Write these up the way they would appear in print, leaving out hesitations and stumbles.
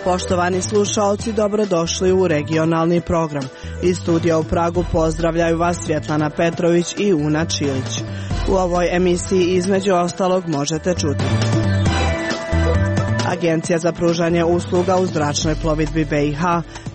Poštovani slušaoci, dobrodošli u regionalni program. Iz studija u Pragu pozdravljaju vas Svjetlana Petrović i Una Čilić. U ovoj emisiji između ostalog možete čuti: Agencija za pružanje usluga u zračnoj plovidbi BiH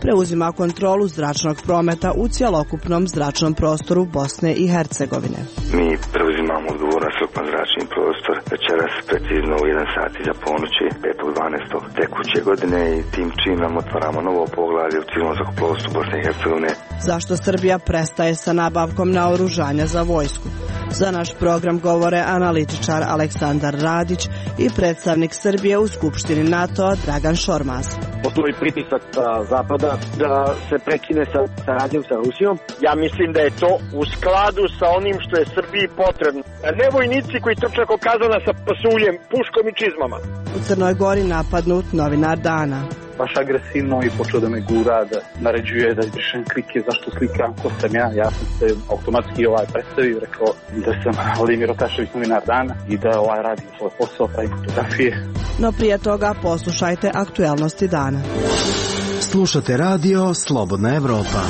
preuzima kontrolu zračnog prometa u cjelokupnom zračnom prostoru Bosne i Hercegovine. Mi preuzimamo odgovornost za zračni prostor večeras precizno u 1 sat iza ponoći 5.12. tekuće godine i tim činom otvaramo novo poglavlje u civilnom zrakoplovstvu Bosne i Hercegovine. Zašto Srbija prestaje sa nabavkom naoružanja za vojsku? Za naš program govore analitičar Aleksandar Radić i predstavnik Srbije u Skupštini NATO-a Dragan Šormaz. Postoji pritisak Zapada da se prekine sa saradnjom sa Rusijom. Ja mislim da je to u skladu sa onim što je Srbiji potrebno. Ne vojnici koji trče oko kazana sa pasuljem, puškom i čizmama. U Crnoj Gori napadnut novinar dana. Baš agresivno i počeo da me gura, da naređuje da izbrišem klike, zašto slikam, ko sam ja. Ja sam se automatski predstavio, rekao da sam Vladimir Otašević, novinar dana i da radim svoj posao, pravi fotografije. No prije toga poslušajte aktuelnosti dana. Slušate radio Slobodna Evropa.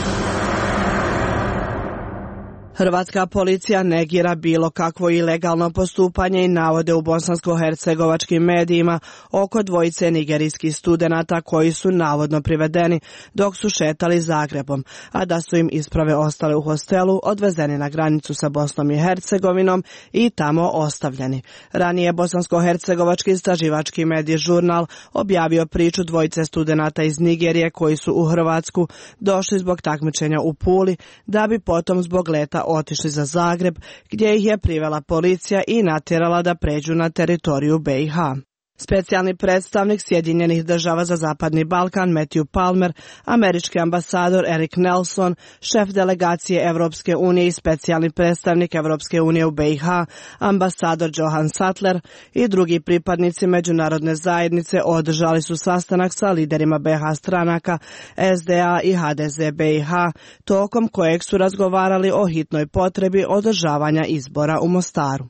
Hrvatska policija negira bilo kakvo ilegalno postupanje i navode u bosansko-hercegovačkim medijima oko dvojice nigerijskih studenata koji su navodno privedeni dok su šetali Zagrebom, a da su im isprave ostale u hostelu, odvezeni na granicu sa Bosnom i Hercegovinom i tamo ostavljeni. Ranije bosansko-hercegovački istraživački medij Žurnal objavio priču dvojice studenata iz Nigerije koji su u Hrvatsku došli zbog takmičenja u Puli, da bi potom zbog leta otišli za Zagreb, gdje ih je privela policija i natjerala da pređu na teritoriju BiH. Specijalni predstavnik Sjedinjenih država za Zapadni Balkan Matthew Palmer, američki ambasador Eric Nelson, šef delegacije Evropske unije i specijalni predstavnik Evropske unije u BiH, ambasador Johan Sattler i drugi pripadnici međunarodne zajednice održali su sastanak sa liderima BiH stranaka SDA i HDZ BiH, tokom kojeg su razgovarali o hitnoj potrebi održavanja izbora u Mostaru.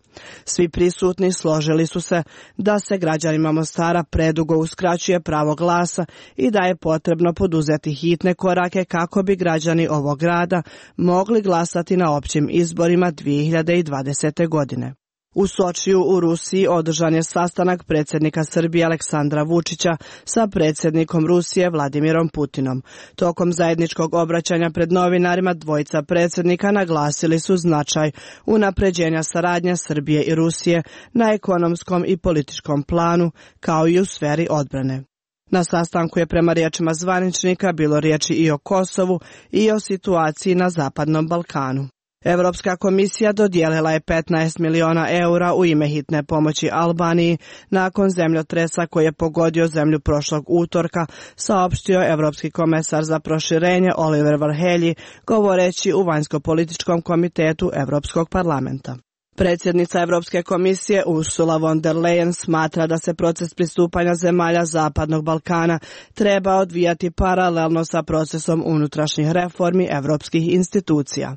Svi prisutni složili su se da se građanima Mostara predugo uskraćuje pravo glasa i da je potrebno poduzeti hitne korake kako bi građani ovog grada mogli glasati na općim izborima 2020. godine. U Sočiju u Rusiji održan je sastanak predsjednika Srbije Aleksandra Vučića sa predsjednikom Rusije Vladimirom Putinom. Tokom zajedničkog obraćanja pred novinarima dvojica predsjednika naglasili su značaj unapređenja saradnje Srbije i Rusije na ekonomskom i političkom planu, kao i u sferi odbrane. Na sastanku je prema riječima zvaničnika bilo riječi i o Kosovu i o situaciji na Zapadnom Balkanu. Europska komisija dodijelila je 15 miliona eura u ime hitne pomoći Albaniji nakon zemljotresa koji je pogodio zemlju prošlog utorka, saopštio Europski komesar za proširenje Oliver Varhelyi, govoreći u vanjsko-političkom komitetu Europskog parlamenta. Predsjednica Europske komisije Ursula von der Leyen smatra da se proces pristupanja zemalja Zapadnog Balkana treba odvijati paralelno sa procesom unutrašnjih reformi europskih institucija.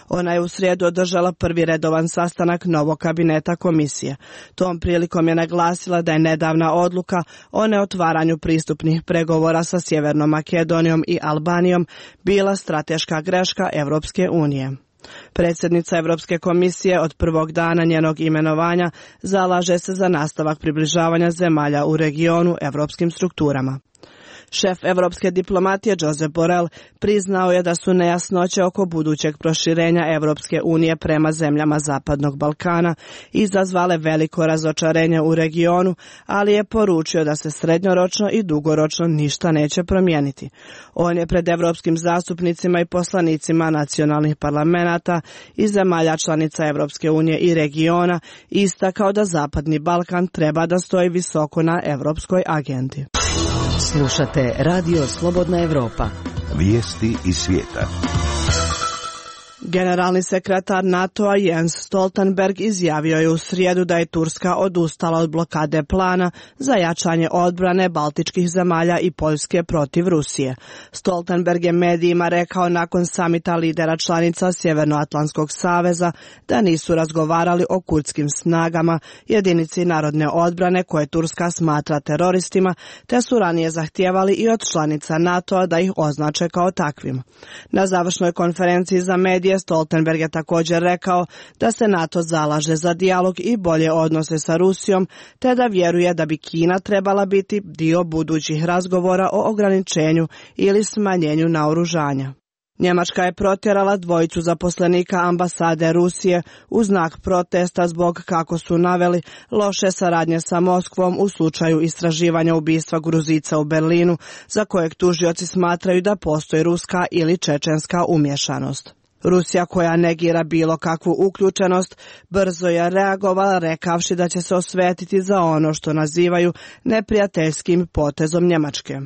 Ona je u srijedu održala prvi redovan sastanak novog kabineta komisije. Tom prilikom je naglasila da je nedavna odluka o neotvaranju pristupnih pregovora sa Sjevernom Makedonijom i Albanijom bila strateška greška Europske unije. Predsjednica Europske komisije od prvog dana njenog imenovanja zalaže se za nastavak približavanja zemalja u regionu europskim strukturama. Šef europske diplomatije Josep Borrell priznao je da su nejasnoće oko budućeg proširenja Europske unije prema zemljama Zapadnog Balkana izazvale veliko razočarenje u regionu, ali je poručio da se srednjoročno i dugoročno ništa neće promijeniti. On je pred europskim zastupnicima i poslanicima nacionalnih parlamenata i zemalja članica Europske unije i regiona istakao da Zapadni Balkan treba da stoji visoko na europskoj agendi. Slušate radio Slobodna Evropa. Vijesti iz svijeta. Generalni sekretar NATO-a Jens Stoltenberg izjavio je u srijedu da je Turska odustala od blokade plana za jačanje odbrane baltičkih zemalja i Poljske protiv Rusije. Stoltenberg je medijima rekao nakon samita lidera članica Sjevernoatlantskog saveza da nisu razgovarali o kurdskim snagama, jedinici narodne odbrane koje Turska smatra teroristima, te su ranije zahtijevali i od članica NATO-a da ih označe kao takvim. Na završnoj konferenciji za medije Stoltenberg je također rekao da se NATO zalaže za dijalog i bolje odnose sa Rusijom, te da vjeruje da bi Kina trebala biti dio budućih razgovora o ograničenju ili smanjenju naoružanja. Njemačka je protjerala dvojicu zaposlenika ambasade Rusije u znak protesta zbog, kako su naveli, loše saradnje sa Moskvom u slučaju istraživanja ubistva Gruzica u Berlinu, za kojeg tužioci smatraju da postoji ruska ili čečenska umješanost. Rusija, koja negira bilo kakvu uključenost, brzo je reagovala rekavši da će se osvetiti za ono što nazivaju neprijateljskim potezom Njemačke.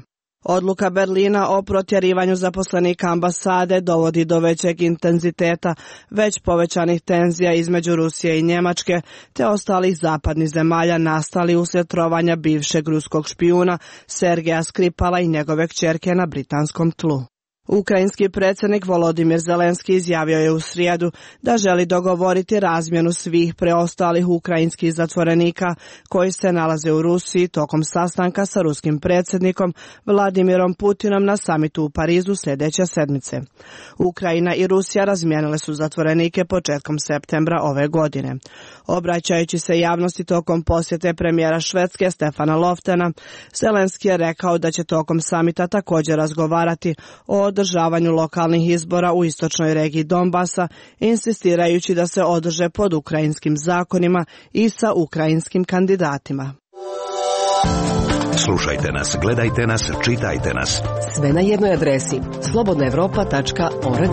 Odluka Berlina o protjerivanju zaposlenika ambasade dovodi do većeg intenziteta već povećanih tenzija između Rusije i Njemačke te ostalih zapadnih zemalja nastali uslijed trovanja bivšeg ruskog špijuna Sergeja Skripala i njegove kćerke na britanskom tlu. Ukrajinski predsjednik Volodimir Zelenski izjavio je u srijedu da želi dogovoriti razmjenu svih preostalih ukrajinskih zatvorenika koji se nalaze u Rusiji tokom sastanka sa ruskim predsjednikom Vladimirom Putinom na samitu u Parizu sljedeće sedmice. Ukrajina i Rusija razmijenile su zatvorenike početkom septembra ove godine. Obraćajući se javnosti tokom posjete premijera Švedske Stefana Loftena, Zelenski je rekao da će tokom samita također razgovarati o održavanju lokalnih izbora u istočnoj regiji Donbasa, insistirajući da se održe pod ukrajinskim zakonima i sa ukrajinskim kandidatima. Slušajte nas, gledajte nas, čitajte nas. Sve na jednoj adresi slobodnaevropa.org.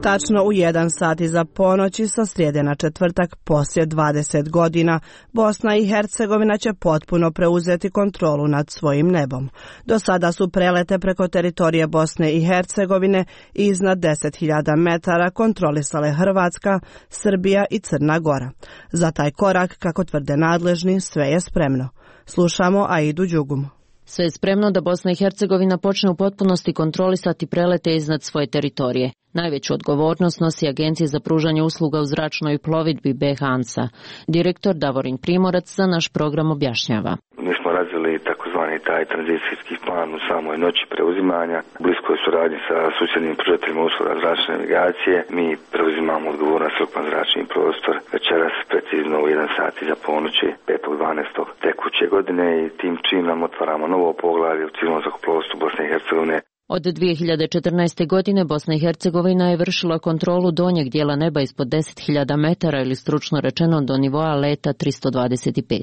Tačno u 1 sat iza ponoći sa srijede na četvrtak poslije 20 godina Bosna i Hercegovina će potpuno preuzeti kontrolu nad svojim nebom. Do sada su prelete preko teritorije Bosne i Hercegovine iznad 10.000 metara kontrolisale Hrvatska, Srbija i Crna Gora. Za taj korak, kako tvrde nadležni, sve je spremno. Slušamo Aidu Đugum. Sve je spremno da Bosna i Hercegovina počne u potpunosti kontrolisati prelete iznad svoje teritorije. Najveću odgovornost nosi Agencija za pružanje usluga u zračnoj plovidbi BH-ANSA. Direktor Davorin Primorac za naš program objašnjava. Mi smo razvili takozvani taj tranzicijski plan u samoj noći preuzimanja. U bliskoj suradnji sa susjednim pružateljima usluga zračne navigacije mi preuzimamo odgovornost ukupan zračni prostor večeras precizno u 1 sat iza ponoći 5.12. tekuće godine i tim činom otvaramo novo poglavlje u civilnom zrakoplovstvu Bosne i Hercegovine. Od 2014. godine Bosna i Hercegovina je vršila kontrolu donjeg dijela neba ispod 10.000 metara ili stručno rečeno do nivoa leta 325.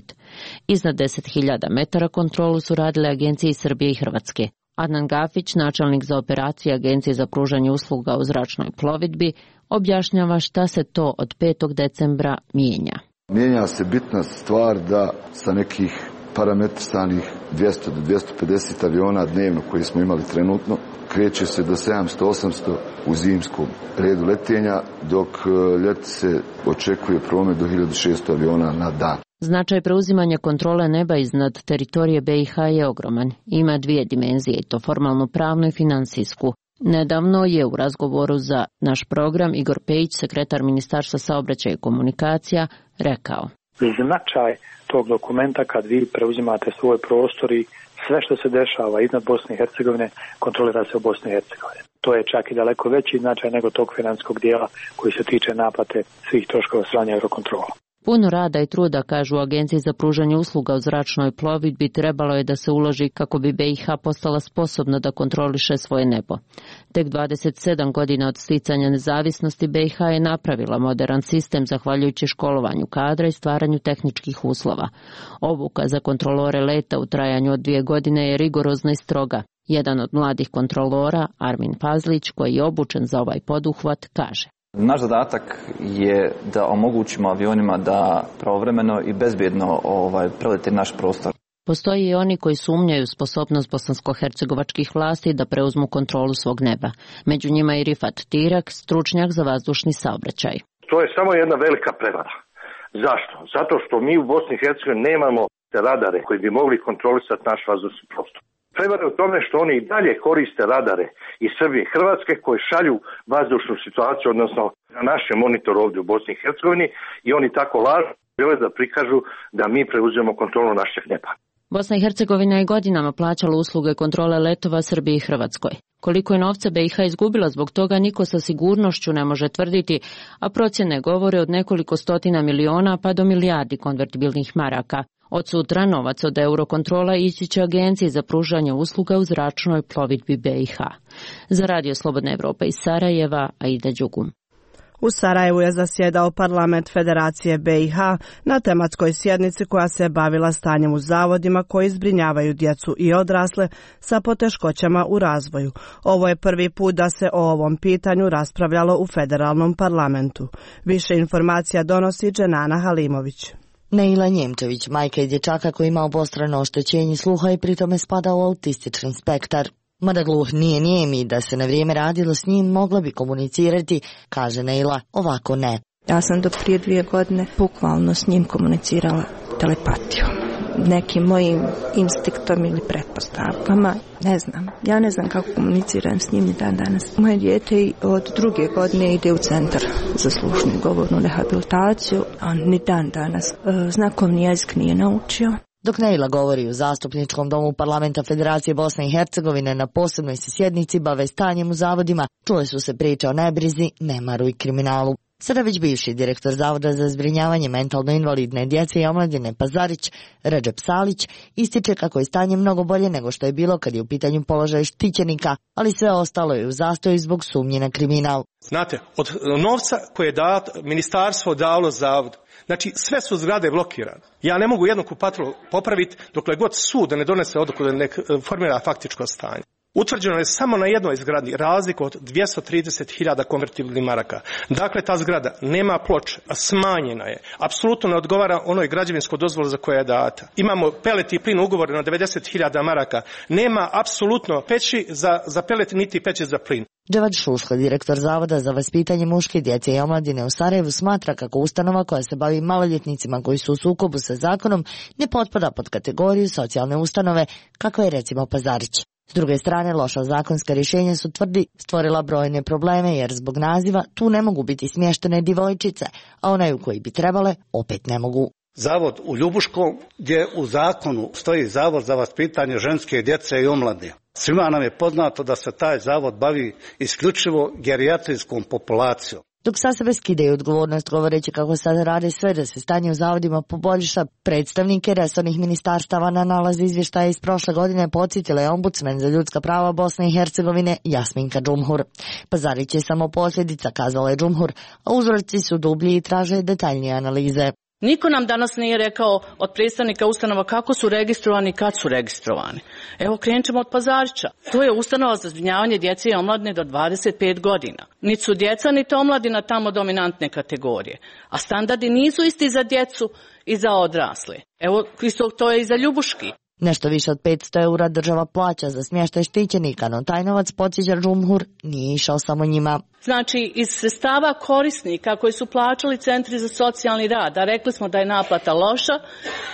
Iznad 10.000 metara kontrolu su radile agencije iz Srbije i Hrvatske. Adnan Gafić, načelnik za operacije Agencije za pružanje usluga u zračnoj plovidbi, objašnjava šta se to od 5. decembra mijenja. Mijenja se bitna stvar da sa nekih parametrisanih 200 do 250 aviona dnevno koji smo imali trenutno, kreće se do 700-800 u zimskom redu letenja, dok ljeti se očekuje promet do 1600 aviona na dan. Značaj preuzimanja kontrole neba iznad teritorije BiH je ogroman. Ima 2 dimenzije, i to formalno pravnu i financijsku. Nedavno je u razgovoru za naš program Igor Pejić, sekretar Ministarstva saobraćaja i komunikacija, rekao: Značaj tog dokumenta kad vi preuzimate svoj prostor i sve što se dešava iznad Bosne i Hercegovine kontrolira se u Bosni i Hercegovini. To je čak i daleko veći značaj nego tog financijskog dijela koji se tiče naplate svih troškova strane Eurokontrola. Puno rada i truda, kažu u Agenciji za pružanje usluga u zračnoj plovidbi, trebalo je da se uloži kako bi BiH postala sposobna da kontroliše svoje nebo. Tek 27 godina od sticanja nezavisnosti BiH je napravila moderan sistem zahvaljujući školovanju kadra i stvaranju tehničkih uslova. Obuka za kontrolore leta u trajanju od 2 godine je rigorozna i stroga. Jedan od mladih kontrolora, Armin Pazlić, koji je obučen za ovaj poduhvat, kaže: Naš zadatak je da omogućimo avionima da pravovremeno i bezbjedno prelete naš prostor. Postoji i oni koji sumnjaju sposobnost bosansko-hercegovačkih vlasti da preuzmu kontrolu svog neba. Među njima i Rifat Tirak, stručnjak za vazdušni saobraćaj. To je samo jedna velika prevara. Zašto? Zato što mi u Bosni i Hercegovini nemamo radare koji bi mogli kontrolisati naš vazdušni prostor. Prevara je u tome što oni i dalje koriste radare iz Srbije i Hrvatske koji šalju vazdušnu situaciju, odnosno na naše monitor ovdje u Bosni i Hercegovini, i oni tako lažu žele da prikažu da mi preuzimamo kontrolu našeg neba. Bosna i Hercegovina je godinama plaćala usluge kontrole letova Srbiji i Hrvatskoj. Koliko je novca BiH izgubila zbog toga niko sa sigurnošću ne može tvrditi, a procjene govore od nekoliko stotina miliona pa do milijardi konvertibilnih maraka. Od sutra novac od Eurokontrola ići će Agenciji za pružanje usluga u zračnoj plovidbi BiH. Za Radio Slobodna Evropa iz Sarajeva, Aida Đugum. U Sarajevu je zasjedao parlament Federacije BiH na tematskoj sjednici koja se bavila stanjem u zavodima koji zbrinjavaju djecu i odrasle sa poteškoćama u razvoju. Ovo je prvi put da se o ovom pitanju raspravljalo u federalnom parlamentu. Više informacija donosi Dženana Halimović. Neila Njemčević, majka i dječaka koji ima obostrano oštećenje sluha i pritome spada u autistični spektar. Mada gluh nije nijem i da se na vrijeme radilo s njim, mogla bi komunicirati, kaže Neila, ovako ne. Ja sam do prije 2 godine bukvalno s njim komunicirala telepatijom, nekim mojim instinktom ili pretpostavkama, ne znam. Ja ne znam kako komuniciram s njim ni dan danas. Moje dijete od 2. godine ide u centar za slušnu i govornu rehabilitaciju, a ni dan danas znakovni jezik nije naučio. Dok Neila govori u zastupničkom domu parlamenta Federacije Bosne i Hercegovine na posebnoj se sjednici bave stanjem u zavodima, čule su se priče o nebrizi, nemaru i kriminalu. Sada već bivši direktor Zavoda za zbrinjavanje mentalno invalidne djece i omladine Pazarić, Redžep Salić, ističe kako je stanje mnogo bolje nego što je bilo kad je u pitanju položaj štićenika, ali sve ostalo je u zastoju zbog sumnje na kriminal. Znate, od novca koje je ministarstvo dalo zavodu, znači sve su zgrade blokirane. Ja ne mogu jednu kupatru popraviti dokle god sud ne donese odluku da ne formira faktičko stanje. Utvrđeno je samo na jednoj zgradi razliku od 230.000 konvertibilnih maraka. Dakle, ta zgrada nema ploče, smanjena je. Apsolutno ne odgovara onoj građevinskoj dozvoli za koja je data. Imamo pelet i plin ugovor na 90.000 maraka. Nema apsolutno peći za pelet niti peći za plin. Dževad Šuško, direktor Zavoda za vaspitanje muške djece i omladine u Sarajevu, smatra kako ustanova koja se bavi maloljetnicima koji su u sukobu sa zakonom ne potpada pod kategoriju socijalne ustanove, kako je recimo Pazarić. S druge strane, loša zakonska rješenja su, tvrdi, stvorila brojne probleme jer zbog naziva tu ne mogu biti smještene djevojčice, a onaj u koji bi trebale opet ne mogu. Zavod u Ljubuškom, gdje u zakonu stoji Zavod za vaspitanje ženske djece i omladine. Svima nam je poznato da se taj zavod bavi isključivo gerijatrijskom populacijom. Dok sa sebe skidaju odgovornost govoreći kako sada rade sve da se stanje u zavodima poboljša, predstavnike resornih ministarstava na nalaz izvještaja iz prošle godine podsjetila je ombudsman za ljudska prava Bosne i Hercegovine Jasminka Džumhur. Pazarić je samo posljedica, kazala je Džumhur, a uzroci su dublji i traže detaljnije analize. Niko nam danas nije rekao od predstavnika ustanova kako su registrovani i kad su registrovani. Evo, krenut ćemo od Pazarića. To je ustanova za zbrinjavanje djece i omladine do 25 godina. Niti su djeca, niti omladina tamo dominantne kategorije. A standardi nisu isti za djecu i za odrasle. Evo, to je i za Ljubuški. Nešto više od 500 eura država plaća za smještaj štićenika, no taj novac, podsjeća Džumhur, nije išao samo njima. Znači, iz sredstava korisnika koji su plaćali centri za socijalni rad, a rekli smo da je naplata loša,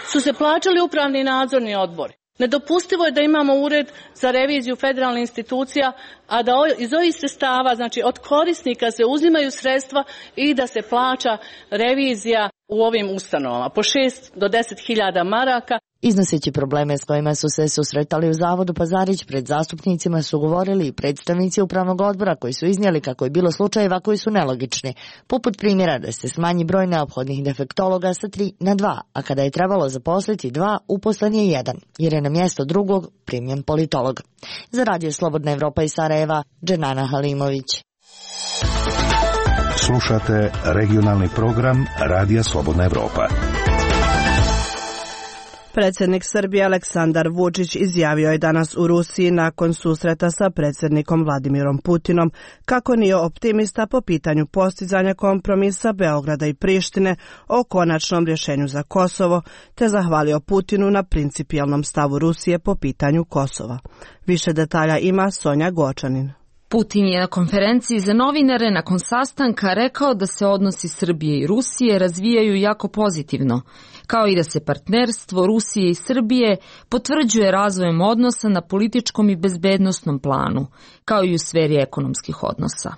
su se plaćali upravni i nadzorni odbori. Nedopustivo je da imamo ured za reviziju federalnih institucija, a da iz ovih sredstava, znači od korisnika, se uzimaju sredstva i da se plaća revizija u ovim ustanovama po 6 do 10.000 maraka. Iznoseći probleme s kojima su se susretali u zavodu Pazarić, pred zastupnicima su govorili i predstavnici upravnog odbora koji su iznijeli kako je bilo slučajeva koji su nelogični, poput primjera da se smanji broj neophodnih defektologa sa 3 na 2, a kada je trebalo zaposliti 2, uposlen je 1, jer je na mjesto drugog primljen politolog. Za Radio Slobodna Evropa iz Sarajeva, Dženana Halimović. Slušate regionalni program Radija Slobodna Evropa. Predsjednik Srbije Aleksandar Vučić izjavio je danas u Rusiji nakon susreta sa predsjednikom Vladimirom Putinom kako nije optimista po pitanju postizanja kompromisa Beograda i Prištine o konačnom rješenju za Kosovo, te zahvalio Putinu na principijelnom stavu Rusije po pitanju Kosova. Više detalja ima Sonja Gočanin. Putin je na konferenciji za novinare nakon sastanka rekao da se odnosi Srbije i Rusije razvijaju jako pozitivno, kao i da se partnerstvo Rusije i Srbije potvrđuje razvojem odnosa na političkom i bezbednosnom planu, kao i u sferi ekonomskih odnosa.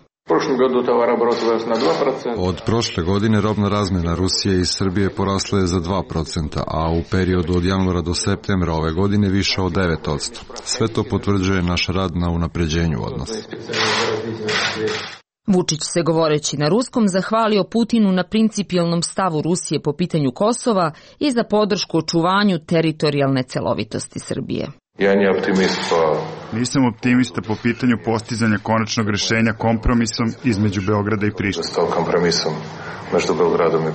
Od prošle godine robna razmjena Rusije i Srbije porasla je za 2%, a u periodu od januara do septembra ove godine više od 9%. Sve to potvrđuje naš rad na unapređenju odnosa. Vučić se govoreći na ruskom zahvalio Putinu na principijelnom stavu Rusije po pitanju Kosova i za podršku očuvanju teritorijalne celovitosti Srbije. Nisam optimista po pitanju postizanja konačnog rješenja kompromisom između Beograda i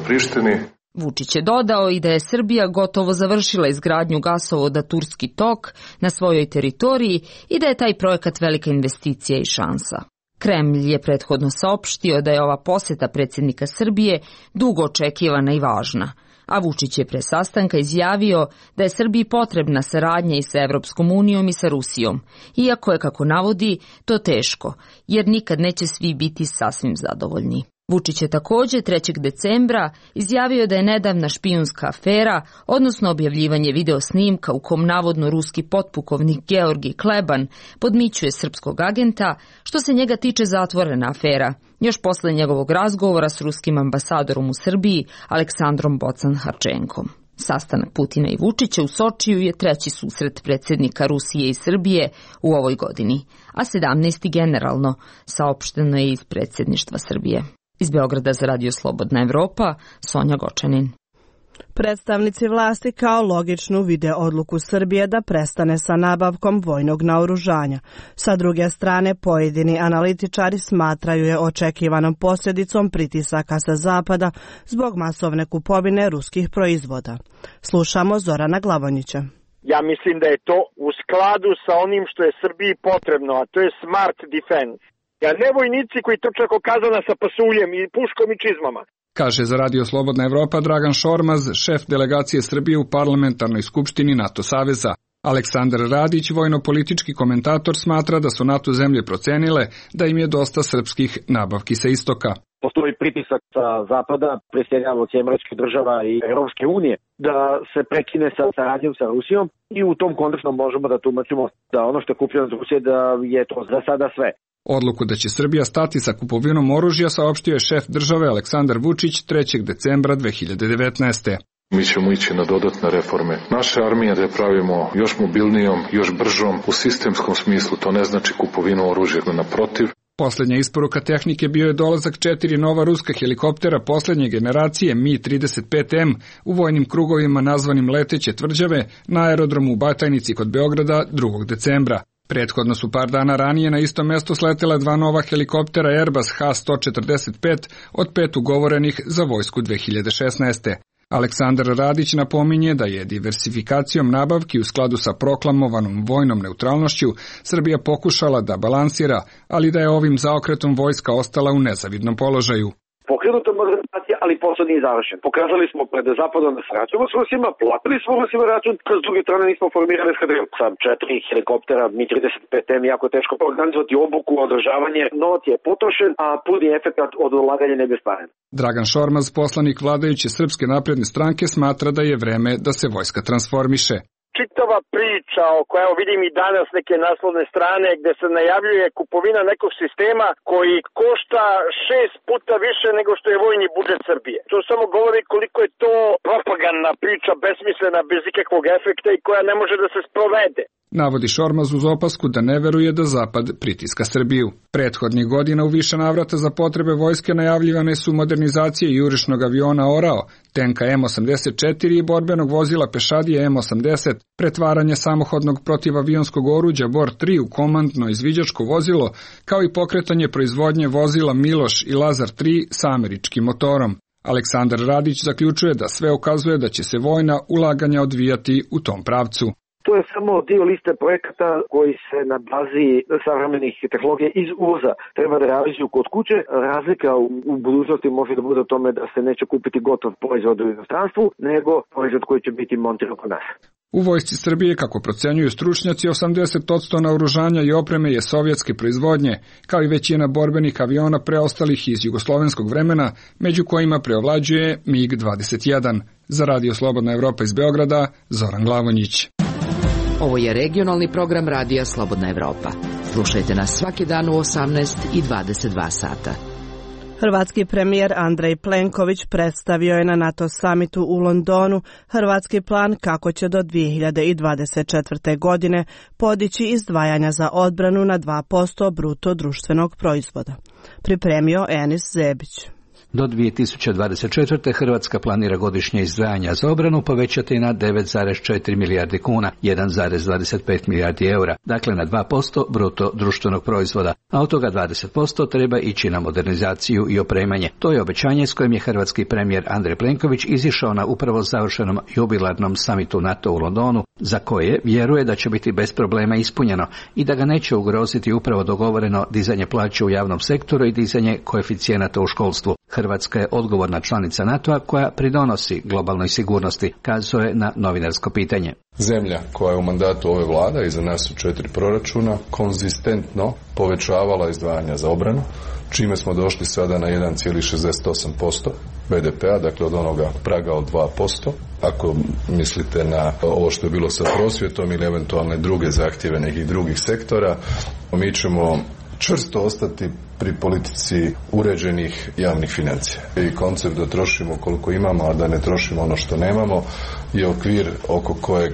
Prištine. Vučić je dodao i da je Srbija gotovo završila izgradnju gasovoda Turski tok na svojoj teritoriji i da je taj projekat velika investicija i šansa. Kremlj je prethodno saopštio da je ova posjeta predsjednika Srbije dugo očekivana i važna, a Vučić je pre sastanka izjavio da je Srbiji potrebna saradnja i sa Evropskom unijom i sa Rusijom, iako je, kako navodi, to teško, jer nikad neće svi biti sasvim zadovoljni. Vučić je također 3. decembra izjavio da je nedavna špijunska afera, odnosno objavljivanje video snimka u kom navodno ruski potpukovnik Georgij Kleban podmićuje srpskog agenta, što se njega tiče zatvorena afera, još posle njegovog razgovora s ruskim ambasadorom u Srbiji Aleksandrom Bocan-Harčenkom. Sastanak Putina i Vučića u Sočiju je 3. susret predsjednika Rusije i Srbije u ovoj godini, a 17. generalno, saopšteno je iz predsjedništva Srbije. Iz Beograda za Radio Slobodna Evropa, Sonja Gočanin. Predstavnici vlasti kao logičnu vide odluku Srbije da prestane sa nabavkom vojnog naoružanja. Sa druge strane, pojedini analitičari smatraju je očekivanom posljedicom pritisaka sa zapada zbog masovne kupovine ruskih proizvoda. Slušamo Zorana Glavonjića. Ja mislim da je to u skladu sa onim što je Srbiji potrebno, a to je smart defense. Ne vojnici koji trče oko kazana sa pasuljem i puškom i čizmama. Kaže za Radio Slobodna Evropa Dragan Šormaz, šef delegacije Srbije u parlamentarnoj skupštini NATO saveza. Aleksandar Radić, vojno-politički komentator, smatra da su NATO zemlje procenile da im je dosta srpskih nabavki sa istoka. Postoji pritisak sa zapada, predsjednjavog Američkih država i Europske unije, da se prekine sa saradnjom sa Rusijom i u tom kontekstu možemo da tumačimo da ono što je kupljeno od Rusije da je to za sada sve. Odluku da će Srbija stati sa kupovinom oružja saopštio je šef države Aleksandar Vučić 3. decembra 2019. Mi ćemo ići na dodatne reforme. Naše armije da je pravimo još mobilnijom, još bržom, u sistemskom smislu, to ne znači kupovinu oružja, naprotiv. Posljednja isporuka tehnike bio je dolazak 4 nova ruska helikoptera posljednje generacije Mi-35M u vojnim krugovima nazvanim leteće tvrđave na aerodromu u Batajnici kod Beograda 2. decembra. Prethodno su par dana ranije na isto mjesto sletela 2 nova helikoptera Airbus H-145 od 5 ugovorenih za vojsku 2016. Aleksandar Radić napominje da je diversifikacijom nabavki u skladu sa proklamovanom vojnom neutralnošću Srbija pokušala da balansira, ali da je ovim zaokretom vojska ostala u nezavidnom položaju. Pokrenuta modernizacija, ali posao nije završen. Pokazali smo pred zapadom da sarađujemo s Rusima, platili smo Rusima račun, s druge strane nismo formirali eskadrilu. Sa 4 helikoptera Mi-35M jako teško organizovati obuku, održavanje, novac je potrošen, a puni efekt od ulaganja ne bestvaren. Dragan Šormaz, poslanik vladajuće Srpske napredne stranke, smatra da je vreme da se vojska transformiše. Čitava priča o koja vidim i danas neke naslovne strane gde se najavljuje kupovina nekog sistema koji košta 6 puta više nego što je vojni budžet Srbije. To samo govori koliko je to propagandna priča, besmislena, bez ikakvog efekta i koja ne može da se sprovede. Navodi Šormaz uz opasku da ne veruje da Zapad pritiska Srbiju. Prethodnih godina u više navrata za potrebe vojske najavljivane su modernizacije jurišnog aviona Orao, tenka M84 i borbenog vozila pešadije M80, pretvaranje samohodnog protivavionskog oruđa Bor-3 u komandno izviđačko vozilo, kao i pokretanje proizvodnje vozila Miloš i Lazar 3 sa američkim motorom. Aleksandar Radić zaključuje da sve ukazuje da će se vojna ulaganja odvijati u tom pravcu. To je samo dio liste projekata koji se na bazi savremenih tehnologija iz uvoza treba da realizuju kod kuće. Razlika u budućnosti može da bude u tome da se neće kupiti gotov proizvod u inostranstvu, nego proizvod koji će biti montiran kod nas. U vojsci Srbije, kako procenjuju stručnjaci, 80% naoružanja i opreme je sovjetske proizvodnje, kao i većina borbenih aviona preostalih iz jugoslovenskog vremena, među kojima preovlađuje MiG-21. Za Radio Slobodna Evropa iz Beograda, Zoran Glavonjić. Ovo je regionalni program Radija Slobodna Evropa. Slušajte nas svaki dan u 18 i 22 sata. Hrvatski premijer Andrej Plenković predstavio je na NATO samitu u Londonu hrvatski plan kako će do 2024. godine podići izdvajanja za odbranu na 2% bruto društvenog proizvoda. Pripremio Enis Zebić. Do 2024. Hrvatska planira godišnje izdvajanja za obranu povećati na 9,4 milijardi kuna, 1,25 milijardi eura, dakle na 2% bruto društvenog proizvoda, a od toga 20% treba ići na modernizaciju i opremanje. To je obećanje s kojim je hrvatski premijer Andrej Plenković izišao na upravo završenom jubilarnom samitu NATO u Londonu, za koje vjeruje da će biti bez problema ispunjeno i da ga neće ugroziti upravo dogovoreno dizanje plaće u javnom sektoru i dizanje koeficijenata u školstvu. Hrvatska je odgovorna članica NATO-a koja pridonosi globalnoj sigurnosti, kazao je na novinarsko pitanje. Zemlja koja je u mandatu ove vlade, iza nas su 4 proračuna, konzistentno povećavala izdvajanja za obranu, čime smo došli sada na 1,68% BDP-a, dakle od onoga praga od 2%. Ako mislite na ovo što je bilo sa prosvjetom ili eventualne druge zahtjeve nekih drugih sektora, mi ćemo čvrsto ostati pri politici uređenih javnih financija. I koncept da trošimo koliko imamo, a da ne trošimo ono što nemamo, je okvir oko kojeg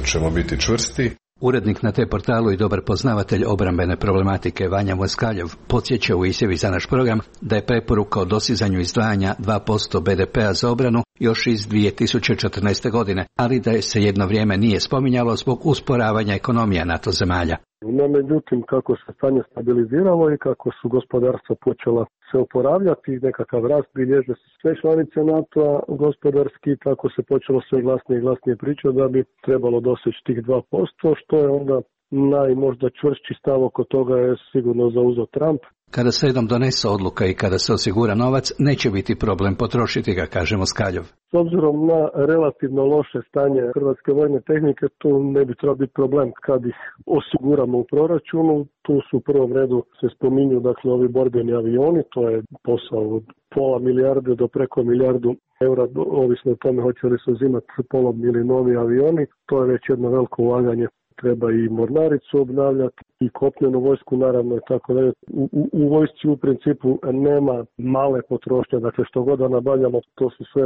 ćemo biti čvrsti. Urednik na te portalu i dobar poznavatelj obrambene problematike Vanja Moskaljev podsjeća u izjavi za naš program da je preporuka o dosizanju izdvajanja 2% BDP-a za obranu još iz 2014. godine, ali da je se jedno vrijeme nije spominjalo zbog usporavanja ekonomija NATO zemalja. No, međutim, kako se stanje stabiliziralo i kako su gospodarstva počela se oporavljati, nekakav rast bilježe sve članice NATO-a gospodarski, tako se počelo sve glasnije i glasnije pričati da bi trebalo doseći tih 2%, što je onda najmožda čvršći stav oko toga je sigurno zauzeo Trump. Kada se jednom donese odluka i kada se osigura novac, neće biti problem potrošiti ga, kaže Moskaljov. S obzirom na relativno loše stanje hrvatske vojne tehnike, tu ne bi trebao biti problem kad ih osiguramo u proračunu. Tu su u prvom redu se spominju dakle ovi borbeni avioni, to je posao od pola milijarde do preko milijardu eura, ovisno o tome hoće li se uzimati polovni ili novi avioni. To je već jedno veliko ulaganje. Treba i mornaricu obnavljati i kopnenu vojsku naravno i tako dalje. U vojsci u principu nema male potrošnje, dakle što god da nabavljamo to su sve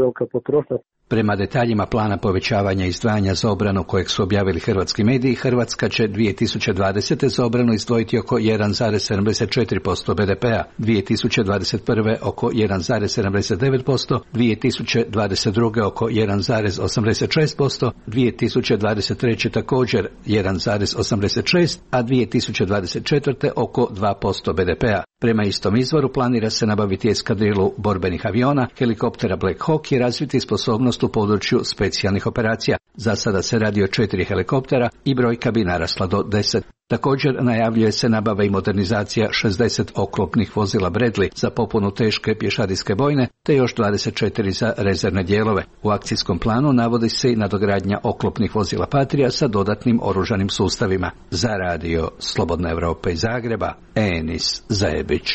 velika potrošnja. Prema detaljima plana povećavanja izdvajanja za obranu kojeg su objavili hrvatski mediji, Hrvatska će 2020. za obranu izdvojiti oko 1,74% BDP-a, 2021. oko 1,79%, 2022. oko 1,86%, 2023. također 1,86%, a 2024. oko 2% BDP-a. Prema istom izvoru planira se nabaviti eskadrilu borbenih aviona, helikoptera Black Hawk i razviti sposobnost u području specijalnih operacija. Za sada se radi o 4 helikoptera i brojka bi narasla do 10. Također najavljuje se nabava i modernizacija 60 oklopnih vozila Bradley za popunu teške pješadijske bojne, te još 24 za rezervne dijelove. U akcijskom planu navodi se i nadogradnja oklopnih vozila Patria sa dodatnim oružanim sustavima. Za Radio Slobodna Evropa iz Zagreba, Enis Zajebić.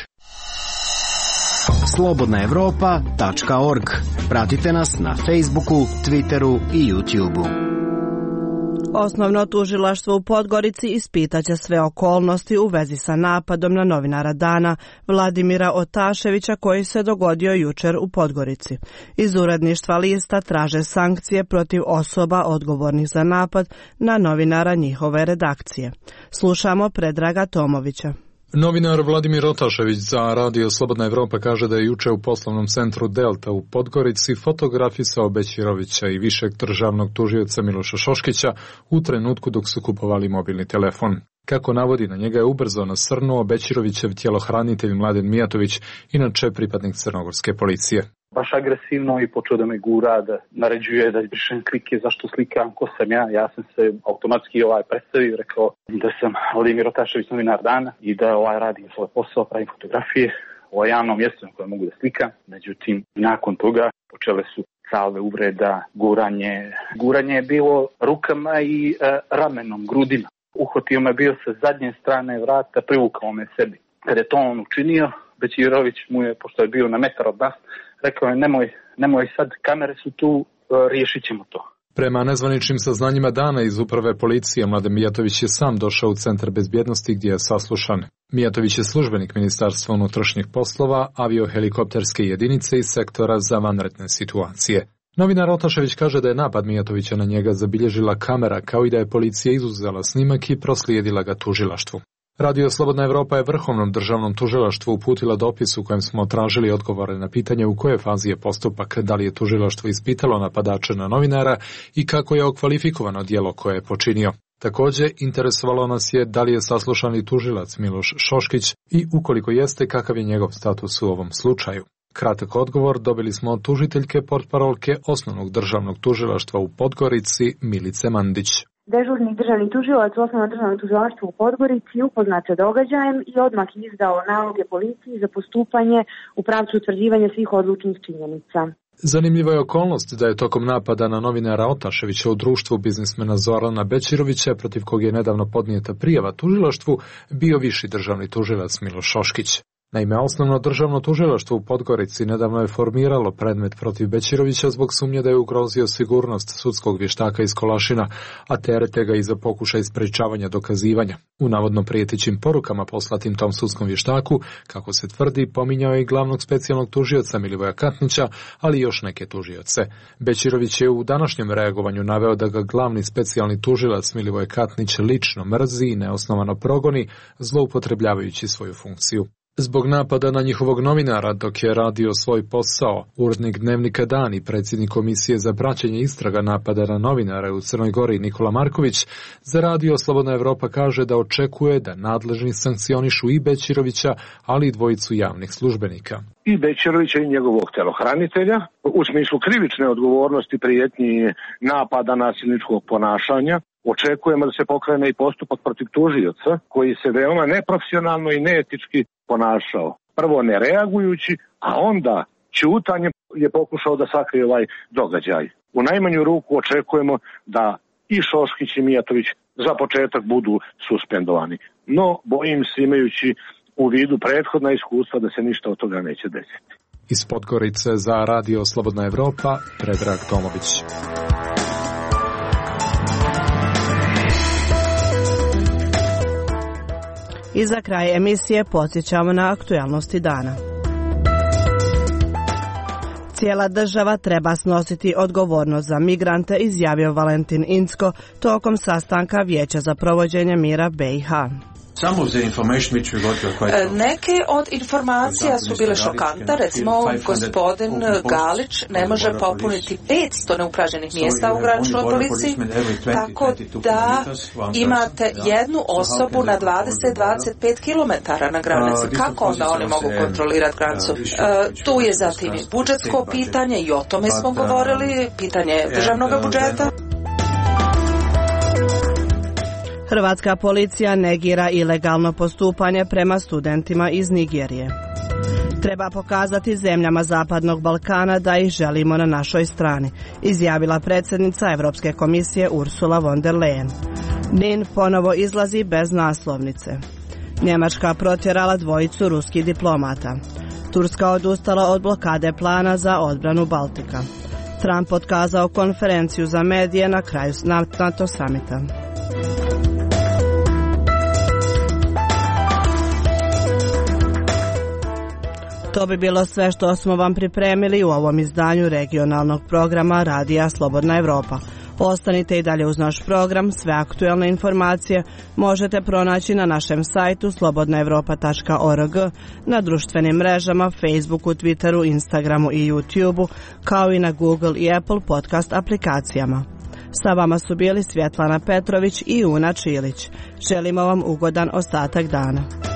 slobodnaevropa.org. Pratite nas na Facebooku, Twitteru i YouTubeu. Osnovno tužilaštvo u Podgorici ispitaće sve okolnosti u vezi sa napadom na novinara Dana Vladimira Otaševića koji se dogodio jučer u Podgorici. Iz uredništva lista traže sankcije protiv osoba odgovornih za napad na novinara njihove redakcije. Slušamo Predraga Tomovića. Novinar Vladimir Otašević za Radio Slobodna Evropa kaže da je juče u poslovnom centru Delta u Podgorici fotografisao Bećirovića i višeg državnog tužioca Miloša Šoškića u trenutku dok su kupovali mobilni telefon. Kako navodi, na njega je ubrzo nasrnuo Bećirovićev tjelohranitelj Mladen Mijatović, inače pripadnik crnogorske policije. Baš agresivno i počeo da me gura, da naređuje da izbrišem klike, zašto slikam, ko sam ja. Ja sam se automatski predstavio, rekao da sam Vladimir Rotašević, novinar Dana i da radim svoj posao, pravim fotografije o javnom mjestu na kojem mogu da slikam. Međutim, nakon toga počele su salve uvreda, guranje. Guranje je bilo rukama i ramenom, grudima. Uhvatio me bio sa zadnje strane vrata, privukao me sebi. Kada je to on učinio, Bećirović mu je, pošto je bio na metar od nas, rekao je nemoj sad, kamere su tu, riješit ćemo to. Prema nezvaničnim saznanjima Dana iz uprave policije, Mladen Mijatović je sam došao u Centar bezbjednosti gdje je saslušan. Mijatović je službenik Ministarstva unutrašnjih poslova, aviohelikopterske jedinice iz sektora za vanredne situacije. Novinar Rotašević kaže da je napad Mijatovića na njega zabilježila kamera, kao i da je policija izuzela snimak i proslijedila ga tužilaštvu. Radio Slobodna Evropa je Vrhovnom državnom tužilaštvu uputila dopis u kojem smo tražili odgovore na pitanje u kojoj fazi je postupak, da li je tužilaštvo ispitalo napadača na novinara i kako je okvalifikovano djelo koje je počinio. Također, interesovalo nas je da li je saslušani tužilac Miloš Šoškić i ukoliko jeste, kakav je njegov status u ovom slučaju. Kratak odgovor dobili smo od tužiteljke portparolke Osnovnog državnog tužilaštva u Podgorici Milice Mandić. Dežurni državni tužilac u Osnovnom državnom tužilaštvu u Podgorici upoznat sa događajem i odmah izdao naloge policiji za postupanje u pravcu utvrđivanja svih odlučnih činjenica. Zanimljiva je okolnost da je tokom napada na novinara Otaševića u društvu biznismena Zorana Bećirovića, protiv kog je nedavno podnijeta prijava tužilaštvu, bio viši državni tužilac Miloš Šoškić. Naime, Osnovno državno tužilaštvo u Podgorici nedavno je formiralo predmet protiv Bećirovića zbog sumnje da je ugrozio sigurnost sudskog vještaka iz Kolašina, a terete ga i za pokušaj sprečavanja dokazivanja. U navodno prijetećim porukama poslatim tom sudskom vještaku, kako se tvrdi, pominjao je i glavnog specijalnog tužioca Milivoja Katnića, ali i još neke tužioce. Bećirović je u današnjem reagovanju naveo da ga glavni specijalni tužilac Milivoje Katnić lično mrzi i neosnovano progoni, zloupotrebljavajući svoju funkciju. Zbog napada na njihovog novinara dok je radio svoj posao, urednik dnevnika Dan i predsjednik komisije za praćenje istraga napada na novinare u Crnoj Gori Nikola Marković, za Radio Slobodna Evropa kaže da očekuje da nadležni sankcionišu i Bećirovića, ali i dvojicu javnih službenika. I Bećirovića i njegovog telohranitelja, u smislu krivične odgovornosti, prijetnji napada, nasilničkog ponašanja. Očekujemo da se pokrene i postupak protiv tužioca koji se veoma neprofesionalno i neetički ponašao. Prvo ne reagujući, a onda ćutanjem je pokušao da sakrije ovaj događaj. U najmanju ruku očekujemo da i Šoškić i Mijatović za početak budu suspendovani. No, bojim se, imajući u vidu prethodna iskustva, da se ništa od toga neće desiti. Iz Podgorice za Radio Slobodna Evropa, Predrag Tomović. I za kraj emisije podsjećamo na aktualnosti dana. Cijela država treba snositi odgovornost za migrante, izjavio Valentin Incko tokom sastanka Vijeća za provođenje mira BiH. Neke od informacija su bile šokantne, recimo gospodin Galić ne može popuniti 500 neupražnjenih mjesta u graničnoj policiji, tako da imate jednu osobu na 20-25 km na granici. Kako onda oni mogu kontrolirati granicu? Tu je zatim i budžetsko pitanje i o tome smo govorili, pitanje državnog budžeta. Hrvatska policija negira ilegalno postupanje prema studentima iz Nigerije. Treba pokazati zemljama Zapadnog Balkana da ih želimo na našoj strani, izjavila predsjednica Europske komisije Ursula von der Leyen. NIN ponovo izlazi bez naslovnice. Njemačka protjerala dvojicu ruskih diplomata. Turska odustala od blokade plana za odbranu Baltika. Trump otkazao konferenciju za medije na kraju NATO samita. To bi bilo sve što smo vam pripremili u ovom izdanju regionalnog programa Radija Slobodna Evropa. Ostanite i dalje uz naš program, sve aktualne informacije možete pronaći na našem sajtu slobodnaevropa.org, na društvenim mrežama, Facebooku, Twitteru, Instagramu i YouTubeu, kao i na Google i Apple podcast aplikacijama. Sa vama su bili Svjetlana Petrović i Una Čilić. Želimo vam ugodan ostatak dana.